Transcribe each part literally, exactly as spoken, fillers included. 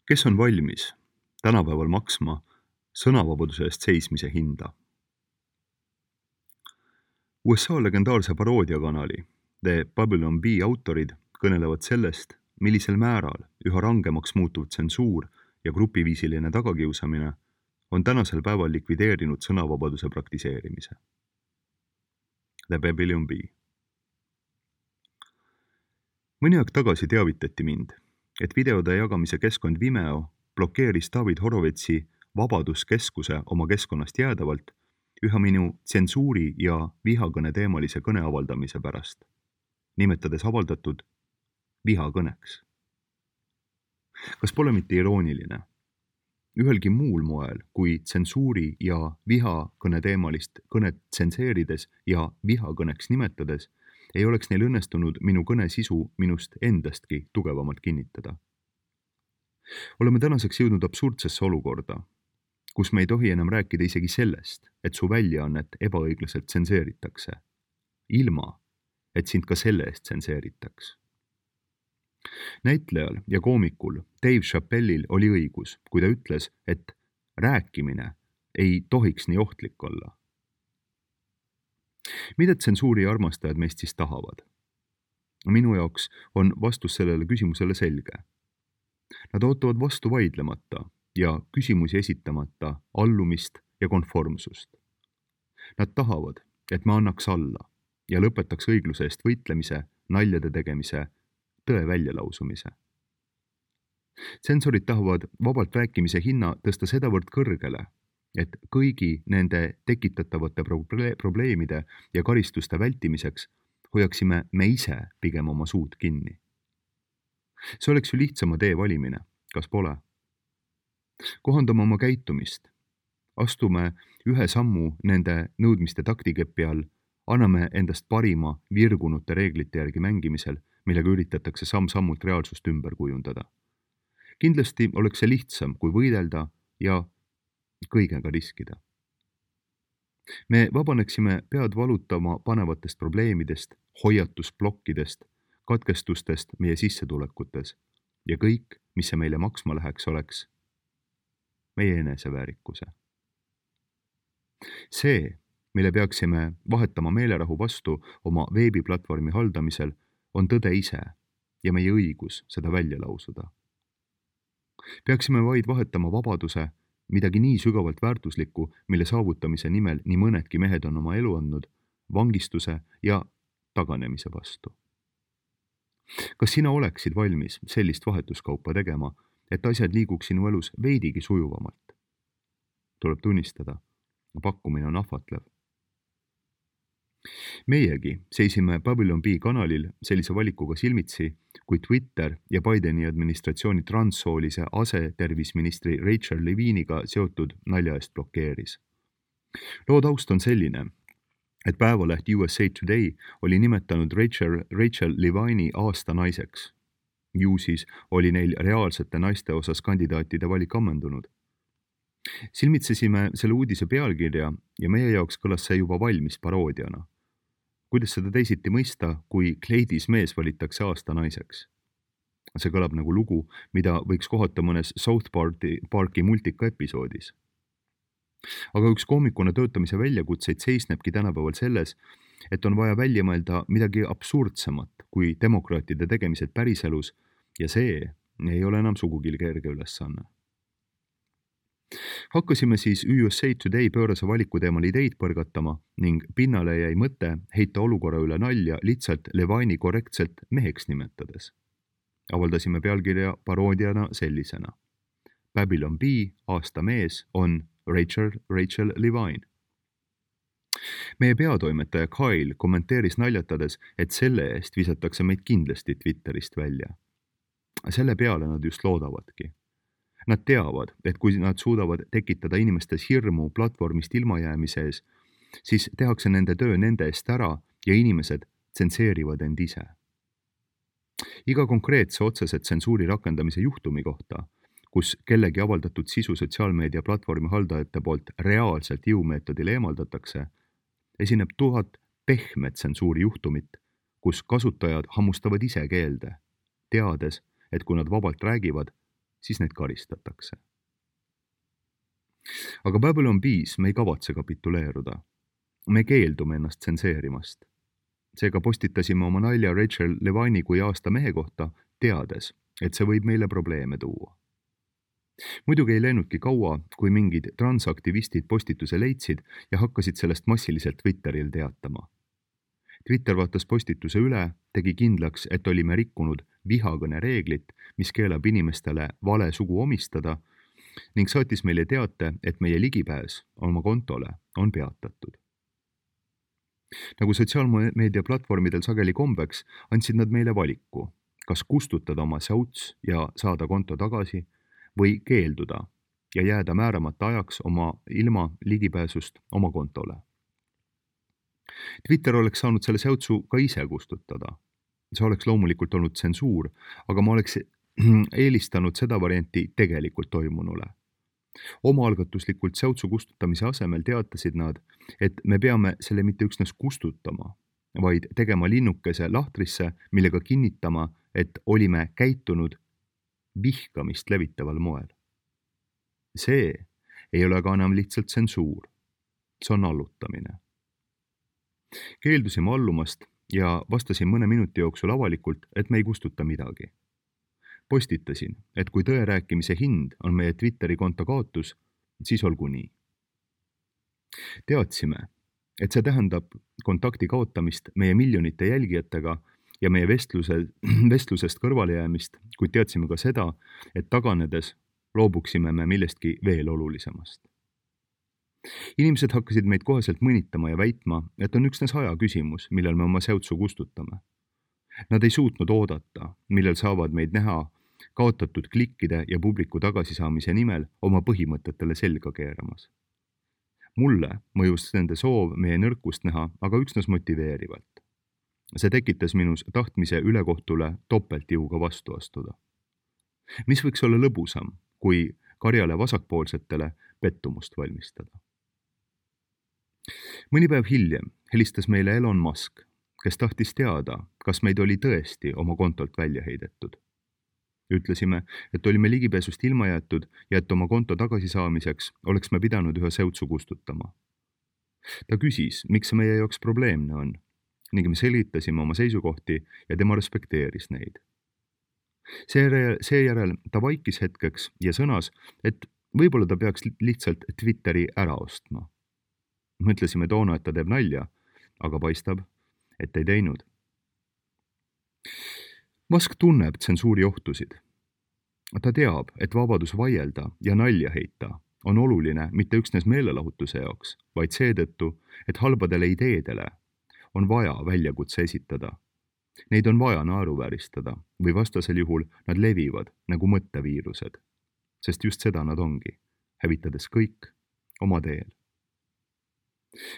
Kes on valmis tänapäeval maksma sõnavabaduse eest seismise hinda? U S A legendaarse paroodiakanali The Babylon Bee autorid kõnelevad sellest, millisel määral üha rangemaks muutuv tsensuur ja grupiviisiline tagakiusamine on tänasel päeval likvideerinud sõnavabaduse praktiseerimise. The Babylon Bee. Mõni aeg tagasi teavitati mind, et videode jagamise keskkond Vimeo blokeeris David Horovetsi Vabaduskeskuse oma keskkonnast jäädavalt üha minu tsensuuri ja vihakõne teemalise kõne avaldamise pärast, nimetades avaldatud vihakõneks. Kas pole mitte irooniline? Ühelgi muul moel kui tsensuuri ja vihakõne teemalist kõnet tsenseerides ja vihakõneks nimetades ei oleks neil õnnestunud minu kõne sisu minust endastki tugevamalt kinnitada. Oleme tänaseks jõudnud absurdsesse olukorda, kus me ei tohi enam rääkida isegi sellest, et su väljaannet ebaõiglaselt tsenseeritakse, ilma, et sind ka selle eest tsenseeritaks. Näitlejal ja koomikul Dave Chappellil oli õigus, kui ta ütles, et rääkimine ei tohiks nii ohtlik olla. Mida tsensuuri armastajad meist siis tahavad? Minu jaoks on vastus sellele küsimusele selge. Nad ootavad vastu vaidlemata ja küsimusi esitamata allumist ja konformsust. Nad tahavad, et me annaks alla ja lõpetaks õigluse eest võitlemise, naljade tegemise, tõe väljalausumise. Tsensorid tahavad vabalt rääkimise hinna tõsta sedavõrd kõrgele, et kõigi nende tekitatavate probleemide ja karistuste vältimiseks hoiaksime me ise pigem oma suud kinni. See oleks ju lihtsama tee valimine, kas pole? Kohandame oma käitumist, astume ühe sammu nende nõudmiste taktikepi all, anname endast parima virgunute reeglite järgi mängimisel, millega üritatakse samm-sammult reaalsust ümber kujundada. Kindlasti oleks see lihtsam, kui võidelda ja kõigega riskida. Me vabaneksime pead valutama panevatest probleemidest, hoiatusplokkidest, katkestustest meie sissetulekutes ja kõik, mis see meile maksma läheks, oleks meie eneseväärikuse. See, mille peaksime vahetama meelerahu vastu oma veebiplatvormi haldamisel, on tõde ise ja meie õigus seda välja lausuda. Peaksime vaid vahetama vabaduse, midagi nii sügavalt väärtuslikku, mille saavutamise nimel nii mõnedki mehed on oma elu andnud, vangistuse ja taganemise vastu. Kas sina oleksid valmis sellist vahetuskaupa tegema, et asjad liiguks sinu elus veidigi sujuvamalt? Tuleb tunnistada, pakkumine on ahvatlev. Meiegi seisime Babylon Bee kanalil sellise valikuga silmitsi, kui Twitter ja Bideni administratsiooni transsoolise asetervisministri Rachel Leviniga seotud nalja eest blokeeris. Loo taust on selline, et päevaleht U S A Today oli nimetanud Rachel, Rachel Levini aasta naiseks. Ju siis oli neil reaalsete naiste osas kandidaatide valik ammendunud. Silmitsesime selle uudise pealkirja ja meie jaoks kõlas see juba valmis paroodiana. Kuidas seda teisiti mõista, kui kleidis mees valitakse aasta naiseks? See kõlab nagu lugu, mida võiks kohata mõnes South Parki, Parki multika episoodis. Aga üks koomikuna töötamise väljakutseid seisnebki tänapäeval selles, et on vaja välja mõelda midagi absurdsemat kui demokraatide tegemised päriselus ja see ei ole enam sugugi kerge ülesanne. Hakkasime siis U S A Today pöörase valiku teemal ideid põrgatama ning pinnale jäi mõte heita olukorra üle nalja lihtsalt Levini korrektselt meheks nimetades. Avaldasime pealkirja paroodiana sellisena. Babylon Bee aasta mees on Rachel, Rachel Levine. Meie peatoimetaja Kyle kommenteeris naljatades, et selle eest visatakse meid kindlasti Twitterist välja. Selle peale nad just loodavadki. Nad teavad, et kui nad suudavad tekitada inimestes hirmu platvormist ilmajäämise ees, siis tehakse nende töö nende eest ära ja inimesed tsenseerivad end ise. Iga konkreetse otsese tsensuuri rakendamise juhtumi kohta, kus kellegi avaldatud sisu sotsiaalmeedia platvormi haldajate poolt reaalselt jõumeetodil eemaldatakse, esineb tuhat pehme tsensuuri juhtumit, kus kasutajad hammustavad ise keelde, teades, et kui nad vabalt räägivad, siis neid karistatakse. Aga Babylon Bees me ei kavatse kapituleeruda. Me keeldume ennast tsenseerimast. Seega postitasime oma nalja Rachel Levini kui aasta mehe kohta, teades, et see võib meile probleeme tuua. Muidugi ei läinudki kaua, kui mingid transaktivistid postituse leidsid ja hakkasid sellest massiliselt Twitteril teatama. Twitter vaatas postituse üle, tegi kindlaks, et olime rikkunud vihakõne reeglit, mis keelab inimestele vale sugu omistada, ning saatis meile teate, et meie ligipääs oma kontole on peatatud. Nagu sotsiaalmeedia platvormidel sageli kombeks, andsid nad meile valiku, kas kustutada oma säuts ja saada konto tagasi või keelduda ja jääda määramata ajaks oma ilma ligipääsust oma kontole. Twitter oleks saanud selle säutsu ka ise kustutada. See oleks loomulikult olnud tsensuur, aga ma oleks eelistanud seda varianti tegelikult toimunule. Omaalgatuslikult säutsu kustutamise asemel teatasid nad, et me peame selle mitte üksnes kustutama, vaid tegema linnukese lahtrisse, millega kinnitama, et olime käitunud vihkamist levitaval moel. See ei ole ka enam lihtsalt tsensuur. See on allutamine. Keeldusime allumast ja vastasin mõne minuti jooksul avalikult, et me ei kustuta midagi. Postitasin, et kui tõe rääkimise hind on meie Twitteri konto kaotus, siis olgu nii. Teadsime, et see tähendab kontakti kaotamist meie miljonite jälgijatega ja meie vestluse, vestlusest kõrvale jäämist, kuid teadsime ka seda, et taganedes loobuksime me millestki veel olulisemast. Inimesed hakkasid meid koheselt mõnitama ja väitma, et on üksnes aja küsimus, millal me oma säutsu kustutame. Nad ei suutnud oodata, millal saavad meid näha kaotatud klikkide ja publiku tagasisaamise nimel oma põhimõtetele selga keeramas. Mulle mõjus nende soov meie nõrkust näha, aga üksnes motiveerivalt. See tekitas minus tahtmise ülekohtule topeltjõuga vastu astuda. Mis võiks olla lõbusam, kui karjale vasakpoolsetele pettumust valmistada? Mõni päev hiljem helistas meile Elon Musk, kes tahtis teada, kas meid oli tõesti oma kontolt välja heidetud. Ütlesime, et olime ligipääsust ilma jäetud ja et oma konto tagasisaamiseks oleks me pidanud ühe säutsu kustutama. Ta küsis, miks see meie jaoks probleemne on, ning me selgitasime oma seisukohti ja tema respekteeris neid. Seejärel, seejärel ta vaikis hetkeks ja sõnas, et võib-olla ta peaks lihtsalt Twitteri ära ostma. Mõtlesime toona, et ta teeb nalja, aga paistab, et ei teinud. Musk tunneb tsensuuri ohtusid. Ta teab, et vabadus vaielda ja nalja heita on oluline mitte üksnes meelelahutuse jaoks, vaid seetõttu, et halbadele ideedele on vaja väljakutse esitada. Neid on vaja naeruvääristada või vastasel juhul nad levivad nagu mõtteviirused, sest just seda nad ongi, hävitades kõik oma teel.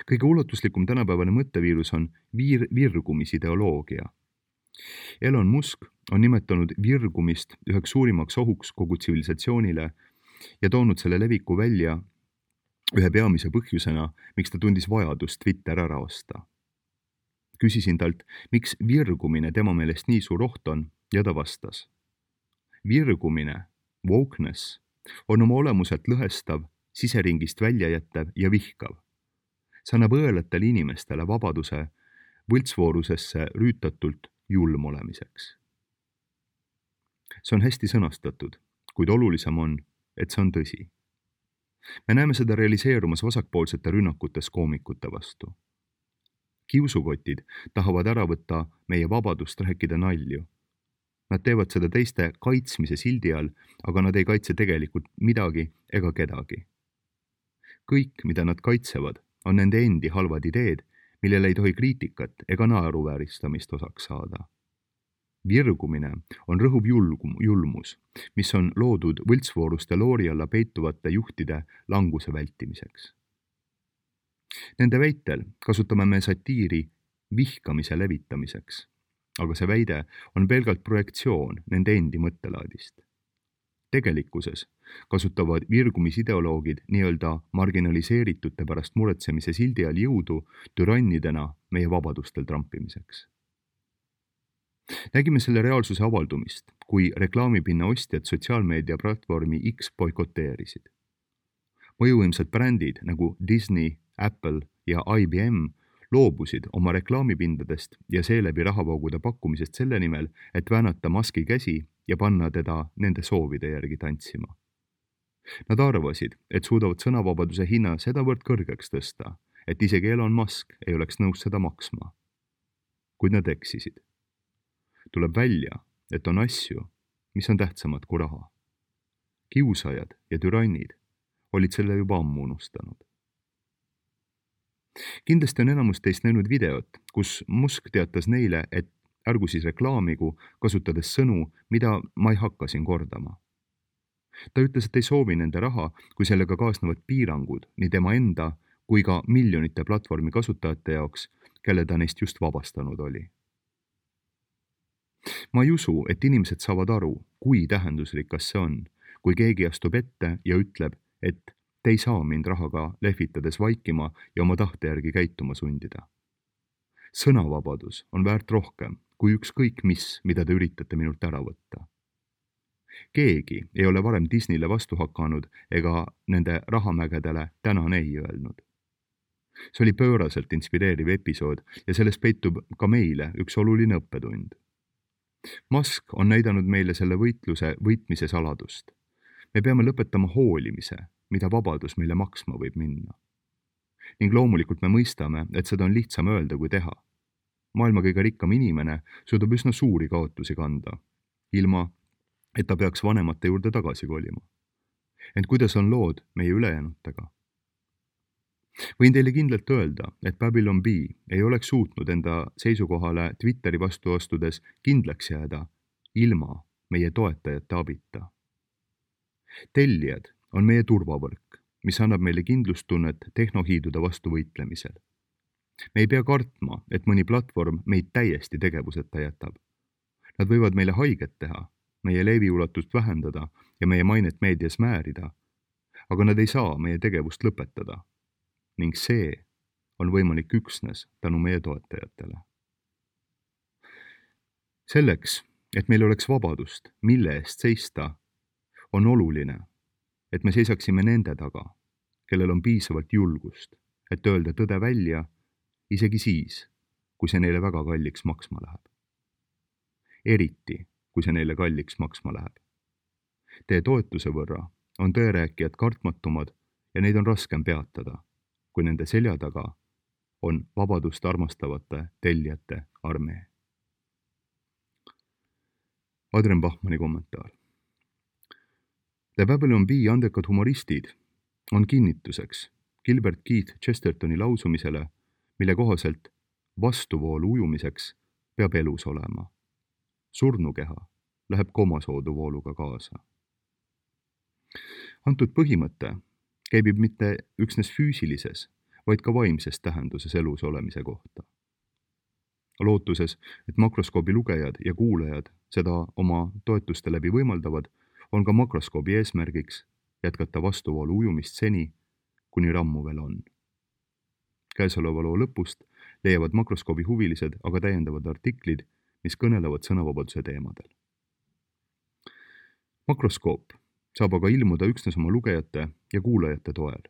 Kõige ulatuslikum tänapäevane mõtteviirus on vir- virgumisideoloogia. Elon Musk on nimetanud virgumist üheks suurimaks ohuks kogu tsivilisatsioonile ja toonud selle leviku välja ühe peamise põhjusena, miks ta tundis vajadust Twitter ära osta. Küsisin talt, miks virgumine tema meelest nii suur oht on, ja ta vastas. Virgumine, wokeness, on oma olemuselt lõhestav, siseringist välja jättev ja vihkav. See annab õelatele inimestele vabaduse võltsvoorusesse rüütatult julm olemiseks. See on hästi sõnastatud, kuid olulisem on, et see on tõsi. Me näeme seda realiseerumas vasakpoolsete rünnakutes koomikute vastu. Kiusukotid tahavad ära võtta meie vabadust rääkida nalju. Nad teevad seda teiste kaitsmise sildi all, aga nad ei kaitse tegelikult midagi ega kedagi. Kõik, mida nad kaitsevad, on nende endi halvad ideed, millele ei tohi kriitikat ega naeruvääristamist osaks saada. Virgumine on rõhuv julgum, julmus, mis on loodud võltsvooruste loori alla peituvate juhtide languse vältimiseks. Nende väitel kasutame me satiiri vihkamise levitamiseks, aga see väide on pelgalt projektsioon nende endi mõttelaadist. Tegelikkuses kasutavad virgumisideoloogid nii-öelda marginaliseeritute pärast muretsemise sildi all jõudu türannidena meie vabadustel trampimiseks. Nägime selle reaalsuse avaldumist, kui reklaamipinna ostjad sotsiaalmeedia platvormi X boikoteerisid. Mõjuvõimsad brändid nagu Disney, Apple ja I B M loobusid oma reklaamipindadest ja seeläbi rahavoogude pakkumisest selle nimel, et väänata Muski käsi ja panna teda nende soovide järgi tantsima. Nad arvasid, et suudavad sõnavabaduse hinna sedavõrd kõrgeks tõsta, et isegi Elon Musk ei oleks nõus seda maksma. Kuid nad eksisid. Tuleb välja, et on asju, mis on tähtsamad kui raha. Kiusajad ja türannid olid selle juba ammu unustanud. Kindlasti on enamus teist näinud videot, kus Musk teatas neile, et ärgu siis reklaamigu, kasutades sõnu, mida ma ei hakka siin kordama. Ta ütles, et ei soovi nende raha, kui sellega kaasnevad piirangud nii tema enda kui ka miljonite platvormi kasutajate jaoks, kelle ta neist just vabastanud oli. Ma ei usu, et inimesed saavad aru, kui tähendusrikas see on, kui keegi astub ette ja ütleb, et te ei saa mind rahaga lehvitades vaikima ja oma tahte järgi käituma sundida. Sõnavabadus on väärt rohkem kui ükskõik mis, mida te üritate minult ära võtta. Keegi ei ole varem Disneyle vastu hakanud ega nende rahamägedele tänan ei öelnud. See oli pööraselt inspireeriv episood ja selles peitub ka meile üks oluline õppetund. Musk on näidanud meile selle võitluse võitmise saladust. Me peame lõpetama hoolimise, mida vabadus meile maksma võib minna. Ning loomulikult me mõistame, et seda on lihtsam öelda kui teha. Maailma kõige rikkam inimene suudab üsna suuri kaotusi kanda, ilma et ta peaks vanemate juurde tagasi kolima. Ent kuidas on lood meie ülejäänutega? Võin teile kindlalt öelda, et Babylon B ei oleks suutnud enda seisukohale Twitteri vastu astudes kindlaks jääda ilma meie toetajate abita. Tellijad on meie turvavõrk, mis annab meile kindlustunnet tehnohiidude vastu võitlemisel. Me ei pea kartma, et mõni platvorm meid täiesti tegevuseta jätab. Nad võivad meile haiget teha, meie leeviulatust vähendada ja meie mainet meedias määrida, aga nad ei saa meie tegevust lõpetada. Ning see on võimalik üksnes tänu meie toetajatele. Selleks, et meil oleks vabadust, mille eest seista, on oluline, et me seisaksime nende taga, kellel on piisavalt julgust, et öelda tõde välja, isegi siis, kui see neile väga kalliks maksma läheb. Eriti, kui see neile kalliks maksma läheb. Teie toetuse võrra on tõerääkijad kartmatumad ja neid on raskem peatada, kui nende selja taga on vabadust armastavate tellijate armee. Adrian Bachmanni kommentaar. The Babylon B andekad humoristid on kinnituseks Gilbert Keith Chestertoni lausumisele, mille kohaselt vastuvoolu ujumiseks peab elus olema. Surnukeha läheb komasooduvooluga kaasa. Antud põhimõte käibib mitte üksnes füüsilises, vaid ka vaimses tähenduses elus olemise kohta. Lootuses, et makroskoobi lugejad ja kuulajad seda oma toetuste läbi võimaldavad, on ka makroskoobi eesmärgiks jätkata vastuvoolu ujumist seni, kuni rammu veel on. Käesoleva loo lõpust leiavad makroskoobi huvilised aga täiendavad artiklid, mis kõnelevad sõnavabaduse teemadel. Makroskoop saab aga ilmuda üksnes oma lugejate ja kuulajate toel.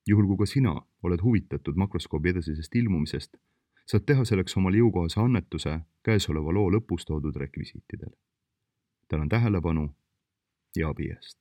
Juhul kui ka sina oled huvitatud makroskoobi edasisest ilmumisest, saad teha selleks omale jõukohase annetuse käesoleva loo lõpus toodud rekvisiitidel. Tänan tähelepanu ja abi eest.